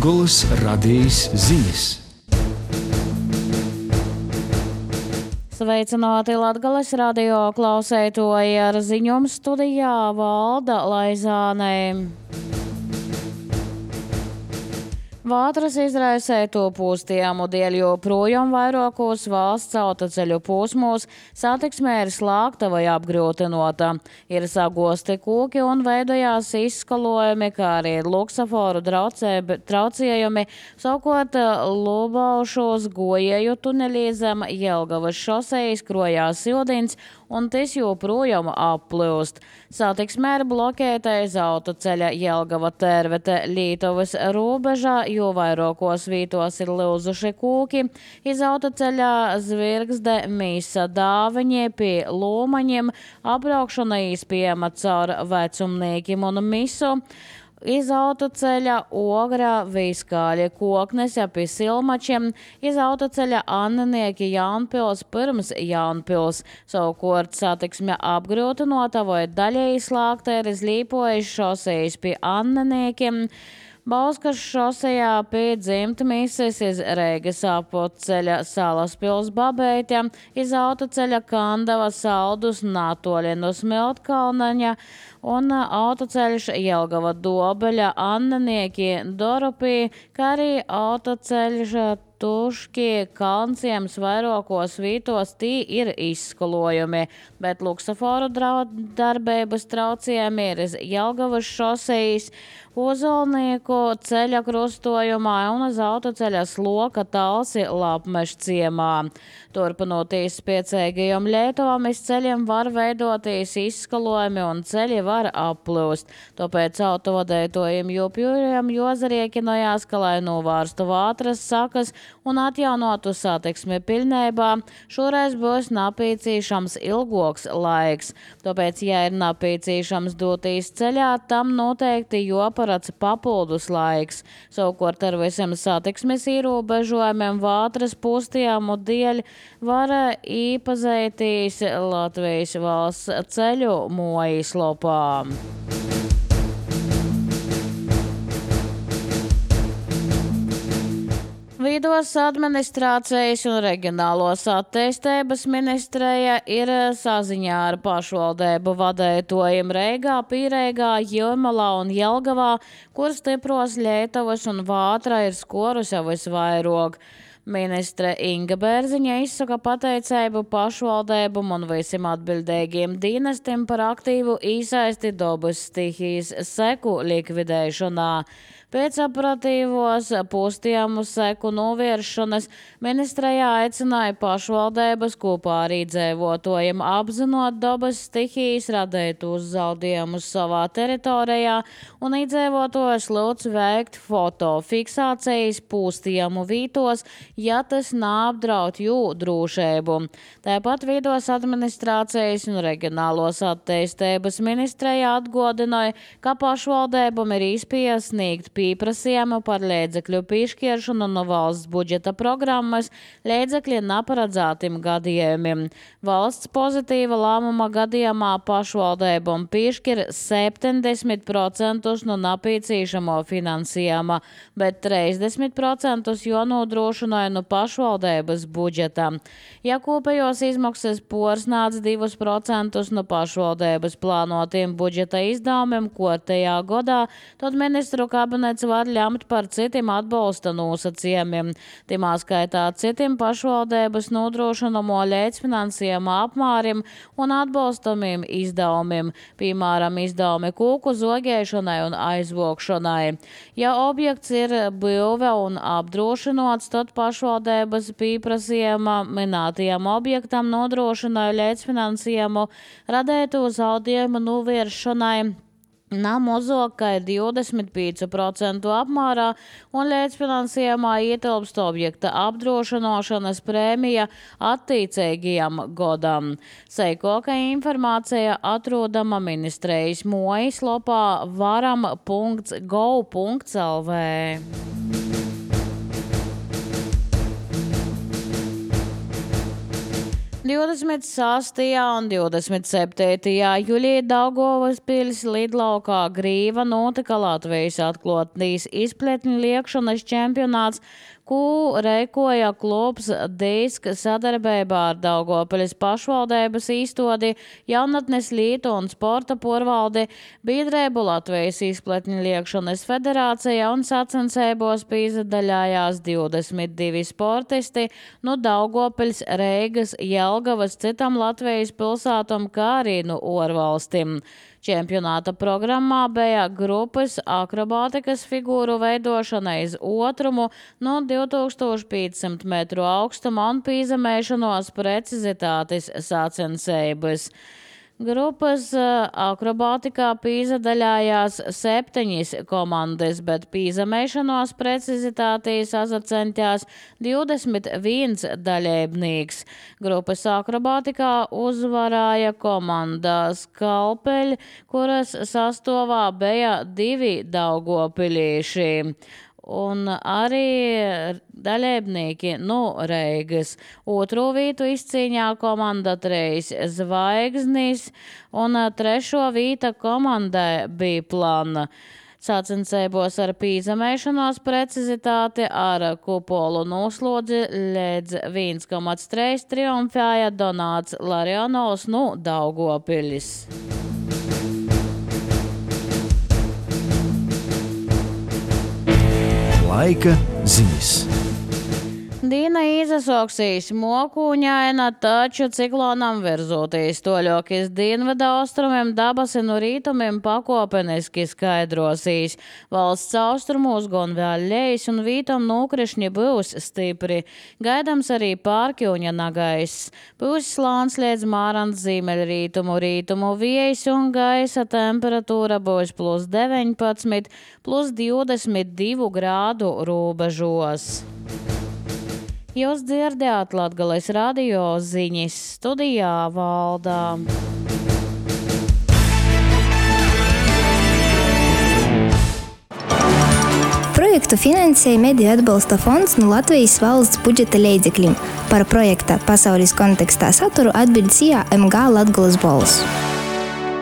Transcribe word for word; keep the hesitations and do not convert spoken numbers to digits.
Latgolas radijas ziņas. Sveicināti Latgales radio klausētoji, ar ziņojumu studijā Valda Laizāne. Vātras izraisēto pūstiemu dēļ joprojām vairākos valsts autoceļu posmos satiksme ir slēgta vai apgrūtinota. Ir sagosti kūki un veidojās izskalojumi, kā arī luksaforu traucējumi, savukārt Lubaušos gojēju tuneļī zem Jelgavas šosejas krojās ildins un tas joprojām applūst. Satiksme ir blokēta iz autoceļa Jelgava Tērvete Lītovas robežā, jo vairākos vītos ir lūzuši kūki. Iz autoceļa Zvirgzde Mīsa Dāviņie pie Lūmaņiem apbraukšana īspējama caur Vecumnīkim un Misu. Iz autoceļa Ogra Vīskāļa Koknes pie Silmačiem, iz autoceļa Annenieki Jaunpils pirms Jaunpils. Savukārt satiksme apgrūtinota vai daļēji slēgta ir iz Līpojas šosejas pie Anneniekiem, Bauskas šosejā pie Dzimtmīses, iz Reigas apceļa Salaspils Babeitja, iz autoceļa Kandava Saldus Natoļinu Smiltkalnaņa un autoceļš Jelgava Dobeļa Annenieki Doropī, kā arī autoceļš Tuški Kalnciems vairākos vītos tī ir izskalojumi, bet luksaforu darbības traucējumi ir iz Jelgavas šosejas, Ozolnieku ceļa krustojumā un uz autoceļa Sloka Talsi Lapmeš ciemā. Turpinoties spiecīgajiem Lietuvām, iz ceļiem var veidoties izskalojumi un ceļi var applūst. Tāpēc autovadētojiem joprojām jozariekinojās, ka, lai novērstu vātras sakas un atjaunotu satiksmi pilnībā, šoreiz būs napīcīšams ilgoks laiks. Tāpēc, ja ir napīcīšams doties ceļā, tam noteikti joparats papildus laiks. Savukārt ar visiem satiksmes ierobežojumiem vātras pūstiemu dēļ var īpazētīs Latvijas valsts ceļu mājaslapā. Vidos administrācijas un reģionālos attīstības ministreja ir saziņā ar pašvaldību vadētojiem Reigā, Pīreigā, Jūrmalā un Jelgavā, kur stipros Lietuvas un Vātra ir skorusi visvairāk. Ministre Inga Bērziņa izsaka pateicību pašvaldībam un visiem atbildīgiem dienestiem par aktīvu īsaisti dabas stihijas seku likvidēšanā. Pēc operatīvos postījuma seku novēršanas ministrejā aicināja pašvaldības kopā ar iedzīvotājiem apzinot dabas stihijas radītus zaudējumus savā teritorijā un iedzīvotājus lūdz veikt fotofiksācijas postījumu vītos, ja tas neapdraud jū drošību. Tāpat vidos administrācijas un reģionālos attīstības ministrejā atgādināja, ka pašvaldībam ir iespēja sniegt pieprasījumu par līdzekļu piešķiršanu no valsts budžeta programmas līdzekļi neparedzētiem gadījumiem. Valsts pozitīva lēmuma gadījumā pašvaldībam piešķir septiņdesmit procentus no napīcīšamo finansējuma, bet trīsdesmit procentus jānodrošina no pašvaldības budžeta. Ja kopējos izmaksas pārsniedz divus procentus no pašvaldības plānotiem budžeta izdevumiem kārtējā gadā, tad ministru kabinets var ļemt par citiem atbalsta nosacījumiem. Timā skaitā citiem pašvaldības nodrošinamo līdzfinansējuma apmāriem un atbalstamiem izdevumiem, piemēram, izdevumi kūku zogēšanai un aizvokšanai. Ja objekts ir būve un apdrošinots, tad pašvaldības pieprasījuma minētajam objektam nodrošināja līdzfinansējumu radītu zaudējumu novēršanai na mazāk kā divdesmit pieci procenti apmērā un līdzfinansējumā ietilpst objekta apdrošināšanas prēmija attiecīgajam gadam. Seikoka informācija atrodama ministrejas mājaslapā varam punkts gov punkts el vē. divdesmit sastajā un divdesmit septītajā jūlijā Daugavpils lidlaukā Grīva notika Latvijas atklātības izpletņu liekšanas čempionāts, ko rīkoja klubs Disk sadarbībā ar Daugavpils pašvaldības īstodi, Jaunatnes lītu un sporta porvaldi, biedrību Latvijas izpletņu liekšanas federācija un sacensībos pīzadaļājās divdesmit divi sportisti no Daugavpils, Reigas, Jelgavas, citam Latvijas pilsātam, kā arī no ārvalstīm. Čempionāta programmā bija grupas akrobātikas figūru veidošana iz otrumu no divi tūkstoši piecsimt metru augstuma un pīzemēšanos precizitātes sacensības. Grupas akrobātikā pīzadaļājās septiņas komandas, bet pīzemēšanos precizitātī sazacentās divdesmit viens dalībnieks. Grupas akrobātikā uzvarēja komanda Skalpeļi, kuras sastāvā bija divi daugavpilieši. Un arī dalībnieki no Reigas. Otro vītu izcīņā komanda Trejs Zvaigznis, un trešo vīta komandai bija plana. Sacensībos ar pīzemēšanos precizitāti ar kupolu noslodzi līdz viens komats trīs triumfēja Donāts Larionovs no Daugavpilis. Laika ziņas. Dīna izasoksīs mokūņaina, taču ciklonam virzoties toļokis dienvidu austrumiem dabasi no rītumiem pakopeniski skaidrosīs. Valsts austrumos gon vēl ļeis un vītam nokrišņi būs stipri. Gaidams arī pārkļūņa nagais. Būs slāns līdz Mārans ziemeļrītumu rītumu viejs un gaisa temperatūra būs plus deviņpadsmit, plus divdesmit divi grādu robežos. Jūs dzirdējāt Latgales radio ziņas, studijā Valdā. Projektu finansēja Mediju atbalsta fonds no Latvijas valsts budžeta līdzekļiem. Par projekta pasaules kontekstā saturu atbild C A M G Latgales balss.